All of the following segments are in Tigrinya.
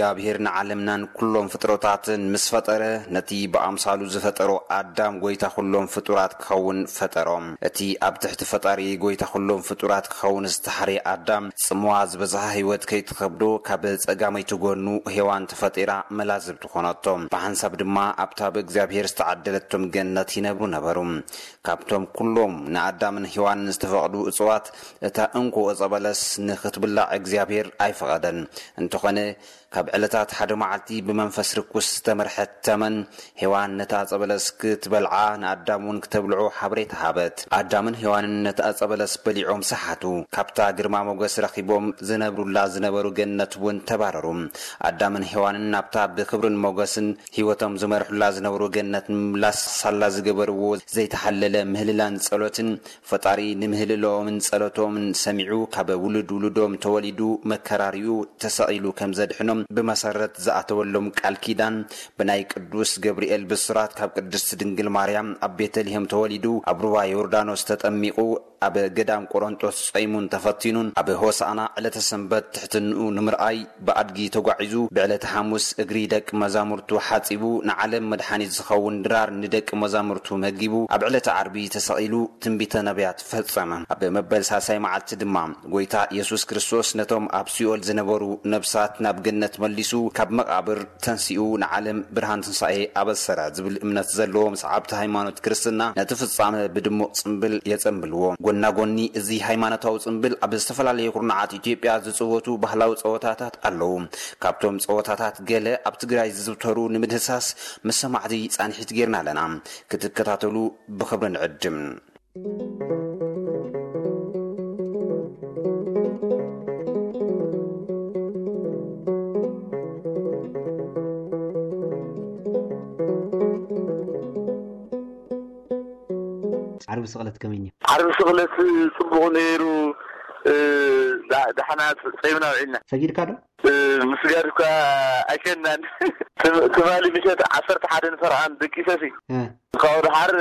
እግዚኣብሔር ንዓለምናን ኩሎም ፍጥረታትን ምስ ፈጠረ፣ ነቲ ብኣምሳሉ ዝፈጠሮ ኣዳም ጎይታ ኩሎም ፍጡራት ክኸውን ፈጠሮም። እቲ ኣብ ትሕቲ ፈጣሪ ጎይታ ኩሎም ፍጡራት ክኸውን ዝተሓርየ ኣዳም፣ ጽምዋ ዝበዝሓ ህይወት ከይትኸብዶ ካብ ጸጋመይቲ ጎኑ ሄዋን ተፈጢራ መላዝብቲ ኮነቶ። ብሓንሳብ ድማ ኣብታ ብእግዚኣብሔር ዝተዓደለቶም ገነት ይነብሩ ነበሩ። ካብቶም ኩሎም ንኣዳምን ሄዋንን ዝተፈቕዱ እጽዋት፣ እታ እንኮ ዕጸ በለስ ንኽትብላዕ እግዚኣብሔር ኣይፈቐደን። እንተኾነ፣ ካብ ዕለታት ሓደ መዓልቲ ብመንፈስ ርኩስ ዝተመርሐት ተመን፣ ሄዋን ነታ ዕጸ በለስ ክትበልዓ ንኣዳም እውን ክተብልዖ ሓበሬታ ሃበት። ኣዳምን ሄዋንን ነታ ዕጸ በለስ በሊዖም ሰሓቱ። ካብታ ግርማ ሞገስ ረኺቦም ዝነብሩላ ዝነበሩ ገነት እውን ተባረሩ። ኣዳምን ሄዋንን ናብታ ብኽብርን ሞገስን ህይወቶም ዝመርሑላ ዝነበሩ ገነት ንምምላስ ሳላ ዝገበርዎ ዘይተሓለለ ምህልላን ጸሎትን፣ ፈጣሪ ንምህልልኦምን ጸሎቶምን ሰሚዑ፣ ካብ ውሉድ ውሉዶም ተወሊዱ፣ መከራሪኡ፣ ተሰቒሉ ከም ዘድሕኖም ብመሰረት ዝኣተወሎም ቃል ኪዳን፣ ብናይ ቅዱስ ገብርኤል ብስራት ካብ ቅድስት ድንግል ማርያም ኣብ ቤተልሔም ተወሊዱ፣ ኣብ ሩባ ዮርዳኖስ ተጠሚቑ፣ ኣብ ገዳም ቆሮንጦስ ጾይሙን ተፈቲኑን፣ ኣብ ሆሳዕና ዕለተ ሰንበት ትሕትንኡ ንምርኣይ ብኣድጊ ተጓዒዙ፣ ብዕለተ ሓሙስ እግሪ ደቂ መዛሙርቱ ሓጺቡ፣ ንዓለም መድሓኒት ዝኸውን ድራር ንደቂ መዛሙርቱ መጊቡ፣ ኣብ ዕለተ ዓርቢ ተሰቒሉ፣ ትንቢተ ነቢያት ፈጸመ። ኣብ መበል ሳልሳይ መዓልቲ ድማ፣ ጎይታ የሱስ ክርስቶስ ነቶም ኣብ ሲኦል ዝነበሩ ነብሳት ናብ ገነት መሊሱ፣ ካብ መቓብር ተንሲኡ ንዓለም ብርሃን ትንሳኤ ኣበሰረ ዝብል እምነት ዘለዎም ሰዓብቲ ሃይማኖት ክርስትና ነቲ ፍጻመ ብድሙቕ ጽምብል የጸንብልዎ። ጎና ጎኒ እዚ ሃይማኖታዊ ጽምብል ኣብ ዝተፈላለዩ ኩርናዓት ኢትዮጵያ ዝጽወቱ ባህላዊ ጸወታታት ኣለዉ። ካብቶም ጸወታታት ገለ ኣብ ትግራይ ዝዝውተሩ ንምድህሳስ ምስ ሰማዕቲ ጻንሒት ጌርና ኣለና። ክትከታተሉ ብኽብሪ ንዕድም። ዓርቢ ስቕለት ከመይ ነይሩ? ዓርቢ ስቕለት ጽቡቕ ነይሩ። እ፣ ዳ-፣ ዳሕና ጸ-፣ ጸይምና ውዒልና። ሰጊድካ ዶ? እ፣ ምስጋድ እኳ ኣይከናን። ትም-፣ ትማሊ ምሸት ዓሰርተ ሓደ ንፈርቓን ደቂሰሲ። እ። ካብኡ ደሓር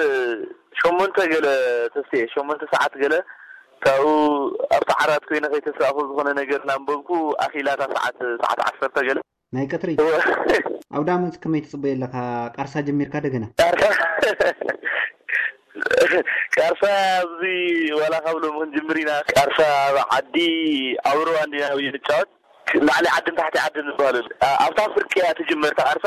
ሸሞንተ ገለ ተስቴ፣ ሸሞንተ ሰዓት ገለ ካብኡ ኣብቲ ዓራት ኮይነ ከይተሳእኹ ዝኾነ ነገር እናንበብኩ ኣኺላታ ሰዓት፣ ሰዓት ዓሰርተ ገለ። ናይ ቀትሪ? እወ። ኣብ ዳመት ከመይ ትጽበዮ ኣለኻ? ቃርሳ ጀሚርካ ደገና? ቃርሳ፣ ቃርሳ ኣብዚ ዋላ ካብ ሎሚ ክንጅምር ኢና። ቃርሳ ኣብ ዓዲ ኣብ ሩባ እንዲና ንጫወት። ላዕሊ ዓድን ታሕቲ ዓድን ዝበሃለሉ። ኣ-፣ ኣብታ ፍርቂ እያ ትጅመር እታ ቃርሳ።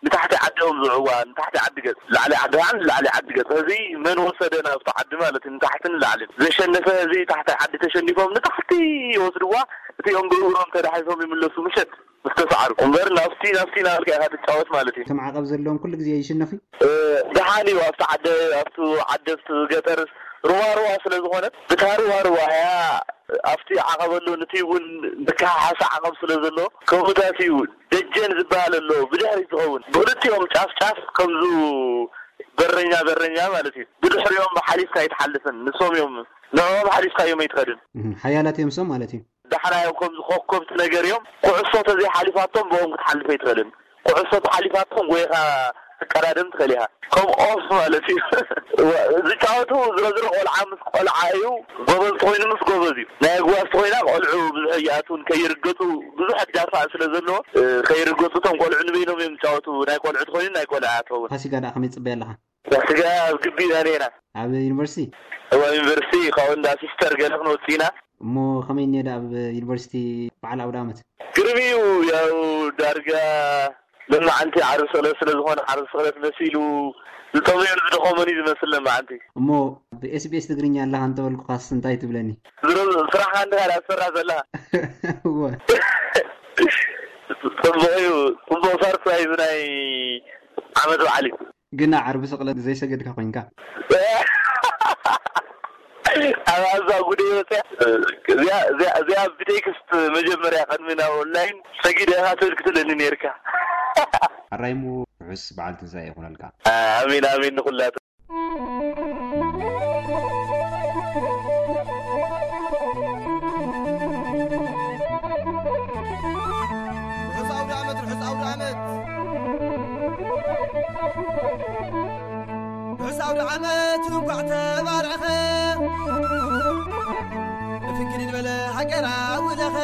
ንታሕቲ ዓዲ እዮም ዝውዕዋ፣ ንታሕቲ ዓዲ ገጽ። ላዕሊ ዓዲ ከዓ ንላዕሊ ዓዲ ገጽ። እዚ መን ወሰደ ናብቲ ዓዲ ማለት እዩ፣ ንታሕትን ንላዕልን። ዘሸነፈ እዚ ታሕቲ ዓዲ ተሸኒፎም ንታሕቲ ይወስድዋ። እቲኦም ብእግሮም ተዳሒሶም ይምለሱ ምሸት ምስ ተሰዓሩ። እምበር ናብቲ፣ ናብቲ ናበልካ ኢኻ ትጫወት ማለት እዩ። እቲ ማዕቐብ ዘለዎም ኩሉ ግዜ ይሽነፉ? እ፣ ደሓን እዩ። ኣብቲ ዓደ-፣ ኣብቲ ዓደ፣ ኣብቲ ገጠር ሩባ ሩባ ስለ ዝኾነት፣ ብታ ሩባ ሩባ እያ ኣብቲ ዓቐብ ኣሎ፣ ነቲ እውን መከሓሓሲ ዓቐብ ስለ ዘሎ፣ ከምኡታት እዩ። ደጀን ዝበሃል ኣሎ፣ ብድሕሪት ዝኸውን። ብክልቲኦም ጫፍ ጫፍ ከምዙ በረኛ በረኛ ማለት እዩ። ብድሕሪኦም ሓሊፍካ ኣይትሓልፍን። ንሶም እዮም፣ ንዕኦም ሓሊፍካ እዮም ኣይትኸድን። እህ፣ ሓያላት እዮም ሶም ማለት እዩ። ዳሕና እዮም ከምዚ ኮከብቲ ነገር እዮም። ኩዕሶ ተዘይሓሊፋቶም ብኦም ክትሓልፍ ኣይትኽእልን። ኩዕሶ ተሓሊፋቶም ጎይኻ ትቀዳደም ትኽእል ኢኻ። ከም ኦፍ ማለት እዩ። ዝጫወቱ ዝረዝሩ ቆልዓ ምስ ቆልዓ እዩ። ጎበዝ ተኾይኑ ምስ ጎበዝ እዩ። ናይ ኣግባስ ተኾይና ቆልዑ ብዙሕ ይኣትውን ከይርገጹ ብዙሕ ዳፋእ ስለ ዘለዎ፣ እ፣ ከይርገጹ እቶም ቆልዑ ንበይኖም እዮም ዝጫወቱ። ናይ ቆልዑ ተኾይኑ ናይ ቆልዑ ኣትኸውን። ፋሲጋ ደኣ ከመይ ትጽበያ ኣለኻ? ፋሲጋ ኣብ ግቢ ኢና ነይና። ኣብ ዩኒቨርሲቲ? እዋ ዩኒቨርሲቲ ካብኡ እንዳ ሲስተር ገለ ክንወጽእ ኢና። እሞ ከመይ እኒኦ ደኣ ኣብ ዩኒቨርሲቲ በዓል ኣውደ ዓመት? ግርም እዩ። ያው ዳርጋ ለማዓንቲ ዓርቢ ስቕለት ስለ ዝኾነ ዓርቢ ስቕለት መሲሉ ዝጠመዮን ዝደኸሞን እዩ ዝመስል ለማዓንቲ። እሞ ብ SBS ትግርኛ ኣለኻ እንተበልኩኻስ እንታይ ትብለኒ? ዝሮ-፣ ስራሕኻ እንዲኻ ደኣ ትሰርሕ ዘለኻ። እወ። ጽቡቕ እዩ። ጽቡቕ ሰርፕራይዝ ናይ ዓመት በዓል እዩ። ግና ዓርቢ ስቕለት ዘይሰገድካ ኮይንካ። ኣብ ኣዛ ጉደይ ወፅያ። እዚኣ፣ እዚኣ፣ እዚኣ ብቴክስት መጀመርያ ቅድሚ ናብ ኦንላይን ሰጊደ ኢኻ ትብል ክትብለኒ ነይርካ። ኣራይሙ ርሑስ በዓል ትንሳኤ ይኹነልካ። ኣሜን፣ ኣሜን ንኹላቱ። ርሑስ ኣውደ ዓመት፣ ርሑስ ኣውደ ዓመት። ርሑስ ኣውደ ዓመት እንኳዕ ተባረኸ። ብፍንክል ዝበለ ሃገር ኣውለኸ።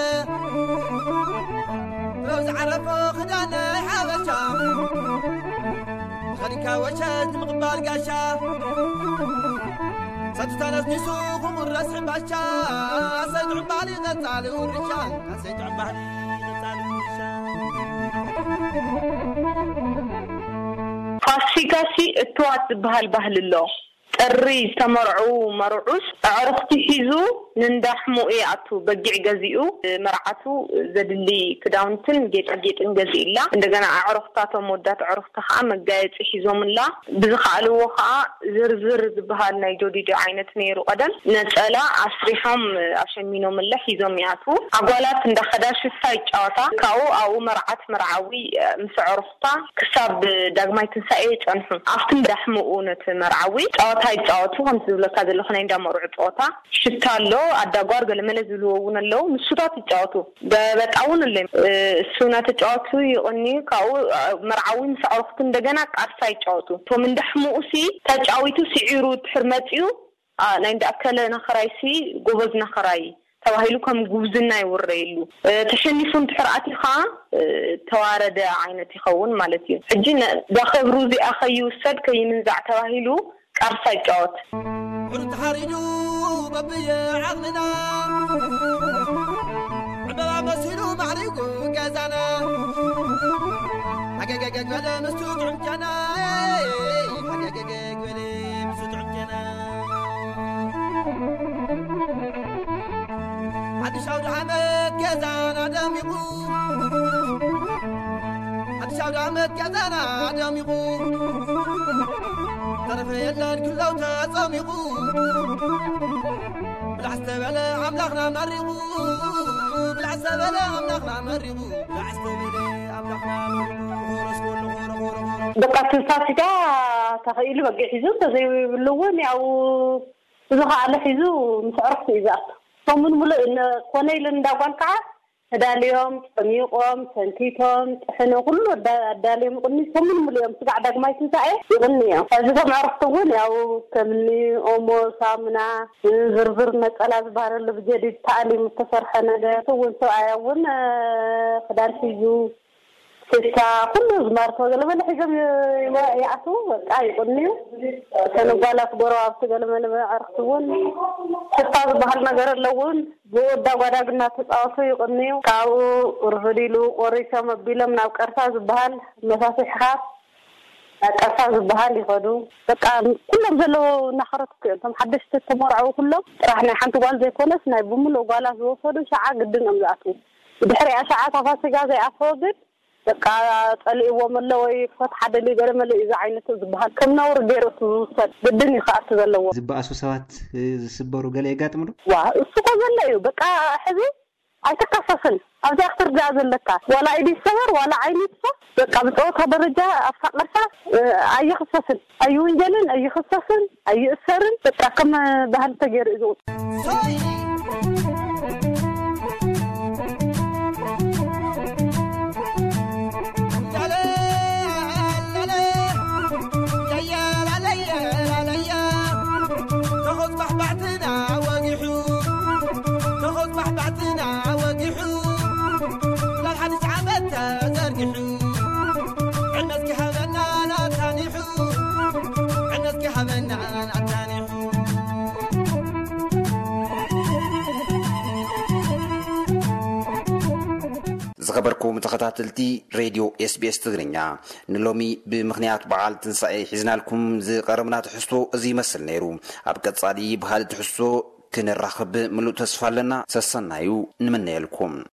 ብኣብዝሓ ረፎ ክዳነይ ሓበሻ፣ ተኸዲንካ ወሸት ንምቕባል ጋሻ፣ ሰቱታ ነስኒሱ ክቑረስ ሕምባሻ፣ ኣሰይ ጥዑም ባህሊ ቀጻሊ ውርሻ፣ ኣሰይ ጥዑም ባህሊ ቀጻሊ ውርሻ። ፋሲካሲ እትዋት ዝበሃል ባህሊ ኣሎ። ጥሪ ዝተመርዑ መርዑስ ኣዕሩኽቲ ሒዙ ንንዳሕሙ ይኣቱ። በጊዕ ገዚኡ፣ መርዓቱ ዘድሊ ክዳውንትን ጌጣጌጥን ገዚእላ። እንደገና ኣዕሩኽታቶም ወዳት ኣዕሩኽቲ ከዓ መጋየፂ ሒዞምላ። ብዝኸኣልዎ ከዓ ዝርዝር ዝበሃል ናይ ጆዲዶ ዓይነት ነይሩ ቀደም። ነፀላ ኣስሪሖም ኣሸሚኖምላ ሒዞም ይኣትዉ። ኣጓላት እንዳኸዳ ሽታ ይጫወታ። ካብኡ ኣብኡ መርዓት መርዓዊ ምስ ኣዕሩኽታ ክሳብ ዳግማይ ትንሳኤ ይጸንሑ። ኣብቲ እንዳሕምኡ ነቲ መርዓዊ ጸወታ ይጻወቱ። ከምቲ ዝብለካ ዘለኹ ናይ እንዳመርዑ ጸወታ ሽታ ኣሎ፣ ኣዳጓር ገለመለ ዝብልዎ እውን ኣለዉ። ንሱታት ይጻወቱ። ገበጣ እውን ኣሎ። እሱ እናተጫወቱ ይቕንዩ። ካብኡ መርዓዊ ምስ ኣዕሩኽቱ እንደገና ቃርሳ ይጫወቱ። እቶም እንዳሕምኡ ሲ ተጫዊቱ ስዒሩ ድሕር መጺኡ፣ ኣ፣ ናይ እንዳኣከለ ናኸራይሲ ጎበዝ ናኸራይ ተባሂሉ ከም ጉብዝና ይውረየሉ። እ፣ ተሸኒፉ እንድሕር ኣትዩ ኸዓ፣ እ፣ ተዋረደ ዓይነት ይኸውን ማለት እዩ። ሕጂ ነ-፣ እዛ ክብሩ እዚኣ ከይውሰድ ከይምንዛዕ ተባሂሉ ቃርሳ ይጫወት። ብሕሩ ተሓሪዱ በብየ ዓቕምና፣ ዕምበባ መሲሉ ማዕሪጉ ገዛና። ሃገገገግ በለ ምስቱ ጥዑም ጨና፣ ሃገገገግ በለ ምስቱ ጥዑም ጨና። ሓድሽ ኣውደ ዓመት ገዛና ደሚቑ፣ ሓድሽ ኣውደ ዓመት ገዛና ደሚቑ፣ ተረፈ የለን ክለው ተጸሚቑ። ብላዕ ዝተበለ ኣምላኽና መሪቑ፣ ብላዕ ዝተበለ ኣምላኽና መሪቑ፣ ብላዕ ዝተበለ ኣምላኽና መሪቑ። ኾረስ ኮሎ ኾረ ኾረ ኾረ። በቃ እቲ ፋሲካ ተኸኢሉ በጊዕ ሒዙ እንተዘይብሉ እውን ያው ብዝኸኣለ ሒዙ ምስ ዕረፍቲ እዩ ዝኣቱ። ሰሙን ሙሉእ እነ-፣ ኮነ ኢሉ እንዳ ጓል ከዓ ተዳልዮም፣ ጸሚቖም፣ ሰንቲቶም፣ ጥሕነ ኩሉ ኣዳ-፣ ኣዳልዮም ይቕንዩ። ሰሙን ሙሉእ እዮም ስጋዕ ዳግማይ ትንሳኤ ይቕንዩ እዮም። ሕዚ ከም ዕረፍቲ እውን ያው ከምኒ ኦሞ፣ ሳሙና፣ ዝርዝር ነጸላ ዝበሃል ኣሎ ብጀዲድ ተኣሊሙ ዝተሰርሐ ነገር። እቲ እውን ሰብኣያ እውን፣ እ፣ ክዳን ሒዙ ሽታ ኩሉ ዝማርኮ ገለመለ ሒዞም ይ-፣ ይዋ-፣ ይኣትዉ፣ በቃ ይቕንዩ። እተን ጓላት ጎረባብቲ ገለመለ ኣዕርኽቲ እውን ሽታ ዝበሃል ነገር ኣለውን። ብወዳ ጓዳግ እናተፃወቱ ይቕንዩ። ካብኡ ርፍድ ኢሉ ቆሪሶም ኣቢሎም ናብ ቀርሳ ዝበሃል መሳሲሕኻ ናብ ቀርሳ ዝበሃል ይኸዱ። በቃ ኩሎም ዘለዉ እናኸረትኩ እዮም። እቶም ሓደሽቲ ተመርዐዉ ኩሎም ጥራሕ ናይ ሓንቲ ጓል ዘይኮነስ ናይ ብምሉእ ጓላት ዝወሰዱ ሸዓ ግድን እዮም ዝኣትዉ። ብድሕሪኣ ሸዓ እታ ፋሲጋ ዘይኣተወ ግን በቃ ጸሊእዎም ኣሎ ወይ ፍትሓ ደልዩ ገለ መለ እዩ እዚ ዓይነት ዝበሃል። ከም ነውሪ ገይሩ እቲ ዝውሰድ ግድን እዩ ክኣቱ ዘለዎ። ዝበኣሱ ሰባት፣ እ፣ ዝስበሩ ገለ የጋጥም ዶ? ዋ፣ እሱ እኮ ዘሎ እዩ። በቃ ሕዚ ኣይትካሰስን። ኣብዚኣ ክትርዳእ ዘለካ። ዋላ ኢዱ ይሰበር፣ ዋላ ዓይኑ ይጥፋእ። በቃ ብጸወታ ደረጃ ኣብታ ቀርሳ፣ እ፣ ኣይኽሰስን፣ ኣይውንጀልን፣ ኣይኽሰስን፣ ኣይእሰርን። በቃ ከም ባህሊ ተገይሩ እዩ ዝቑጸር። ዝኸበርኩም ተኸታተልቲ ሬድዮ ኤስቢኤስ ትግርኛ፣ ንሎሚ ብምኽንያት በዓል ትንሳኤ ሒዝናልኩም ዝቐረብና ትሕዝቶ እዚ ይመስል ነይሩ። ኣብ ቀጻሊ ብኻልእ ትሕዝቶ ክንራኸብ ምሉእ ተስፋ ኣለና። ሰሰናዩ ንምነየልኩም።